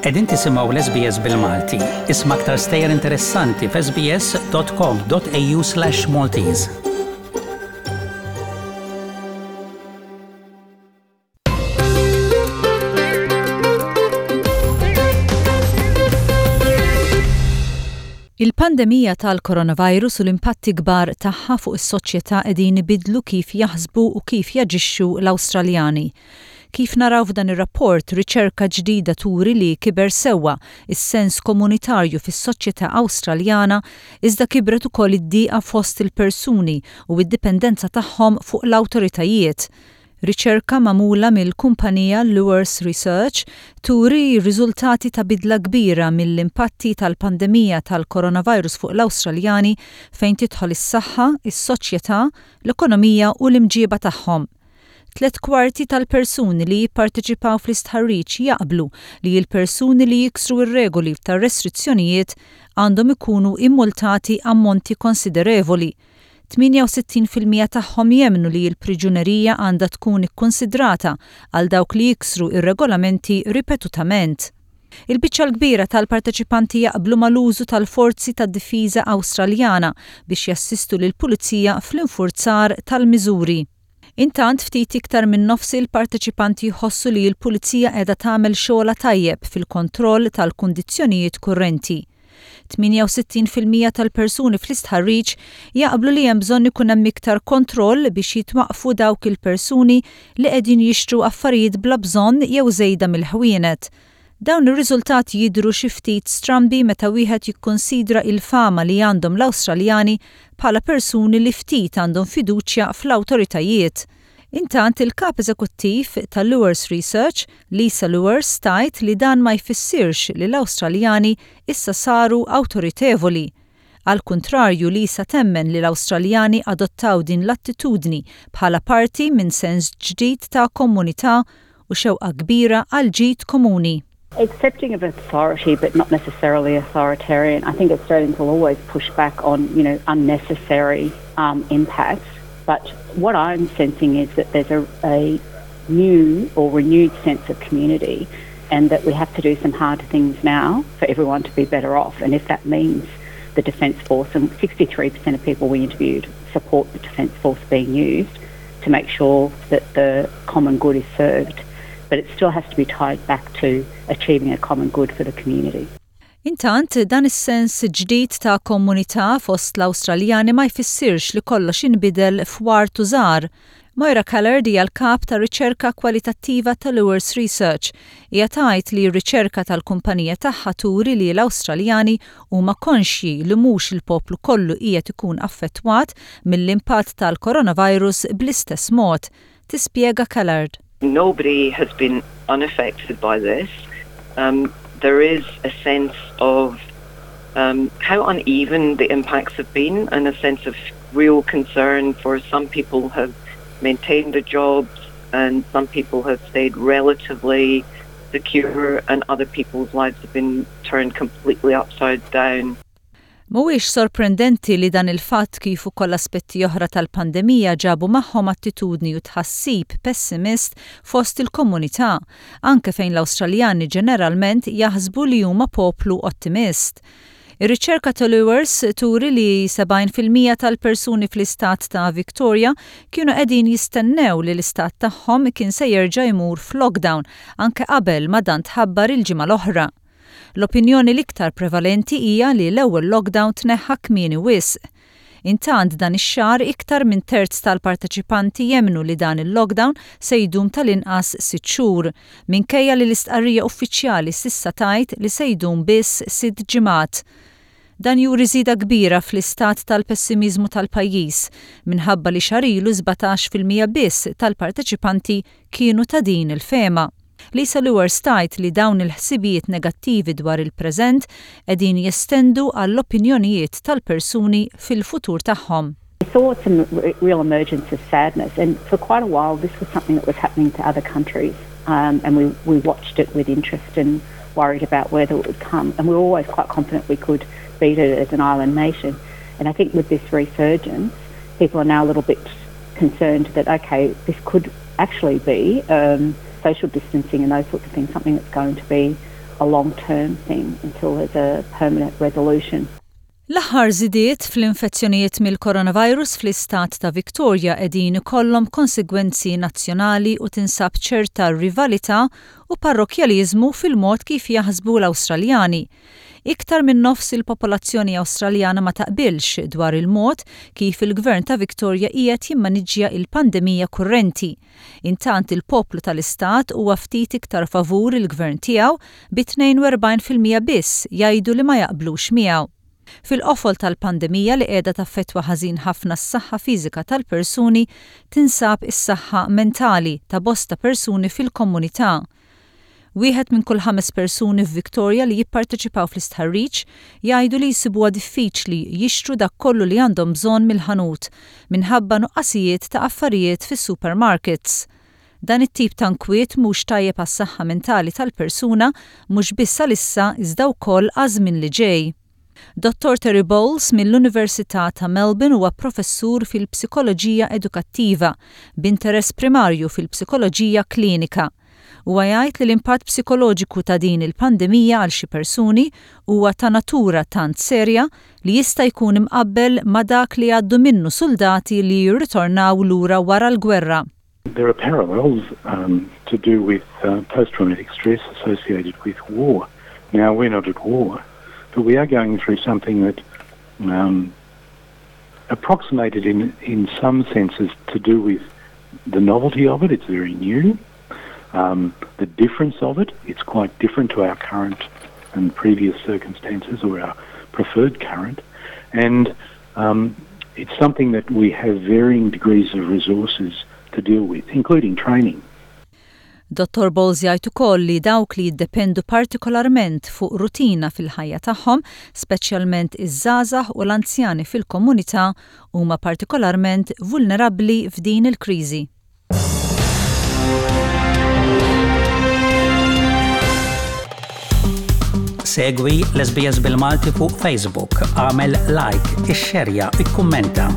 Qegħdin tisimgħu l-SBS bil-Malti. Isma' aktar stejjer interessanti f'sbs.com.au/Maltese. Il-pandemija tal-coronavirus u l-impatti kbar tagħha fuq is-soċjetà qegħdin ibiddlu kif jaħsbu u kif jaġixxu l-Awstraljani. Kif naraw f'dan ir-rapport, riċerka ġdida turi li kiber sewwa s-sens komunitarju fis-soċjetà Awstraljana iżda kibret ukoll id-dieqa fost il-persuni u d-dipendenza tagħhom fuq l-awtoritajiet. Riċerka magħmula mill-kumpanija Lewers Research turi r-riżultati ta' bidla kbira mill-impatti tal-pandemija tal-coronavirus fuq l-Awstraljani fejn tidħol is-saħħa, is-soċjetà, l-ekonomija u l-imġieba tagħhom. Tlett kwarti tal-persuni li jipparteċipaw fl-istħarriġ jaqblu li l-persuni li jiksru r-regoli tar-restrizzjonijiet għandhom ikunu immultati ammonti konsiderevoli. 68% tagħhom jemmnu li l-priġunerija għandha tkun ikkunsidrata għal dawk li jiksru r-regolamenti ripetutament. Il-biċċa l-kbira tal-parteċipanti jaqblu mal-użu tal-Forzi tad-Difiża Awstraljana biex jassistu lill-pulizija fl-infurzar tal-miżuri. Intant, ftit iktar minn nofs il-parteċipanti jħossu li l-pulizija qiegħda tagħmel xogħolha tajjeb fil-kontroll tal-kundizzjonijiet kurrenti. 68% tal-persuni fl-istħarriġ jaqblu li hemm bżonn ikun hemm iktar kontroll biex jitwaqqfu dawk il-persuni li qegħdin jixtru affarijiet bla bżonn jew żejda mill-ħwienet. Dawn ir-riżultati jidhru xi ftit strambi meta wieħed jikkunsidra il-fama li għandhom l-Awstraljani bħala persuni li ftit għandhom fiduċja fl-awtoritajiet. Intant, il-Kap Eżekuttiv ta' Lewers Research, Lisa Lewers tgħid li dan ma jfissirx li l-Awstraljani issa saru awtoritevoli. Għall-kuntrarju, Lisa temmen li l-Awstraljani adottaw din l-attitudni bħala parti minn sens ġdid ta' komunità u xewqa kbira għal ġid komuni. Accepting of authority but not necessarily authoritarian. I think Australians will always push back on, you know, unnecessary um, impact. But what I'm sensing is that there's a, a new or renewed sense of community and that we have to do some hard things now for everyone to be better off. And if that means the Defence Force, and 63% of people we interviewed support the Defence Force being used to make sure that the common good is served. But it still has to be tied back to achieving a common good for the community. Intant, dan is-sens ġdid ta' komunità fost l-Awstraljani ma jfissirx li kollox inbidel f'ward u żahar. Moira Callard hija l-kap ta' riċerka kwalitattiva ta' Lewers Research. Hija tgħid li r-riċerka tal-kumpanija tagħha turi li l-Awstraljani huma konxji li mhux il-poplu kollu qiegħed ikun affettwat mill-impatt tal-coronavirus bl-istess mod. Tispjega Callard. Nobody has been unaffected by this. Um, there is a sense of um, how uneven the impacts have been and a sense of real concern for some people have maintained their jobs and some people have stayed relatively secure and other people's lives have been turned completely upside down. Mhuwiex sorprendenti li dan il-fatt kif ukoll aspetti oħra tal-pandemija ġabu magħhom attitudni u tħassib pessimist fost il-komunità, anke fejn l-Awstraljani ġeneralment jaħsbu li huma poplu ottimist. Ir-riċerka ta' Lewers turi li 70% tal-persuni fl-istat ta' Victoria kienu qegħdin jistennew li l-istat tagħhom kien se jerġa' jmur f'lockdown anke qabel ma dan tħabbar il-ġimgħa l-oħra. L-opinjoni l-iktar prevalenti hija li l-ewwel lockdown tneħħa kmieni wisq. Intant dan ix-xahar iktar minn terz tal-parteċipanti jemmnu li dan il-lockdown se jdum tal-inqas sitt xhur, minkejja li l-istqarrija uffiċjali s'issa tgħid li se jdum biss sitt ġimgħat. Dan juri żieda kbira fl-istat tal-pessimiżmu tal-pajjiż, minħabba li xahar ilu 17% biss tal-parteċipanti kienu ta' din il-fehma. Lisa Lewers tgħid li dawn il-ħsibijiet negattivi dwar il-preżent qegħdin jestendu għall-opinjonijiet tal-persuni fil-futur tagħhom. We saw some real emergence of sadness and for quite a while this was something that was happening to other countries um, and we, we watched it with interest and worried about whether it would come and we were always quite confident we could beat it as an island nation. And I think with this resurgence, people are now a little bit concerned that, okay, this could actually be um, social distancing and those sorts of things, something that's going to be a long-term thing until there's a permanent resolution. L-aħħar żidiet fl-infezzjonijiet mill-coronavirus fl-istat ta' Victoria qegħdin ikollhom konsegwenzi nazzjonali u tinsab ċerta rivalità u parrokkjaliżmu fil-mod kif jaħsbu l-Awstraljani. Iktar minn nofs il-popolazzjoni Awstraljana ma taqbilx dwar il-mod kif il-Gvern ta' Victoria qiegħed jimmaniġġja il-pandemija kurrenti. Intant il-poplu tal-istat huwa ftit iktar favur il-gvern tiegħu bi 42% biss jgħidu li ma jaqblux miegħu. Fil-qofol tal-pandemija li qiegħda taffettwa ħażin ħafna s-saħħa fiżika tal-persuni tinsab is-saħħa mentali ta' bosta persuni fil-komunità. Wieħed minn kull ħames persuni f'Victoria li jipparteċipaw fl-istħarriġ jgħidu li jsibuha diffiċli jixtru dak kollu li għandhom bżonn mill-ħanut minħabba nuqqasijiet ta' affarijiet fis-supermarkets. Dan it-tip ta' nkwiet mhux tajjeb għas-saħħa mentali tal-persuna mhux biss għalissa iżda wkoll għaż-żmien li ġej. Dottor Terry Bowles mill-Università ta' Melbourne huwa professur fil-psikoloġija edukattiva b'interess primarju fil-psikoloġija klinika. Huwa jgħid li l-impatt psikoloġiku ta' din il-pandemija għal xi persuni huwa ta' natura tant serja li jista' jkun imqabbel ma' dak li għaddu minnu suldati li jirritornaw lura wara l-gwerra. There are parallels um, to do with uh, post-traumatic stress associated with war. Now, we're not at war, but we are going through something that um, approximated in, in some senses to do with the novelty of it. It's very new. Um, the difference of it, it's quite different to our current and previous circumstances or our preferred current. And um, it's something that we have varying degrees of resources to deal with, including training. Dottor Bowles jgħid ukoll li dawk li jiddependu partikolarment fuq rutina fil-ħajja tagħhom, speċjalment iż-żgħażagħ u l-anzjani fil-komunità, huma partikolarment vulnerabbli f'din il-kriżi. Segwi l-SBS bil-Malti fuq Facebook, għamel like, ixxerja, ikkummenta.